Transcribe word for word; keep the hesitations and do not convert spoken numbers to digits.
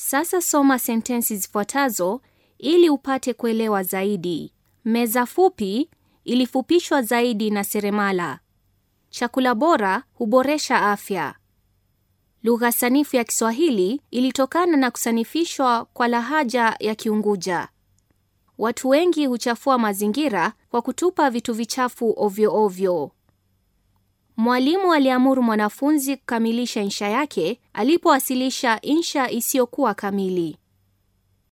Sasa soma sentensi zifuatazo ili upate kuelewa zaidi. Meza fupi ilifupishwa zaidi na seremala. Chakula bora huboresha afya. Lugha sanifu ya Kiswahili ilitokana na kusanifishwa kwa lahaja ya Kiunguja. Watu wengi huchafua mazingira kwa kutupa vitu vichafu ovyo ovyo. Mwalimu aliamuru mwanafunzi kukamilisha insha yake alipowasilisha insha isiyokuwa kamili.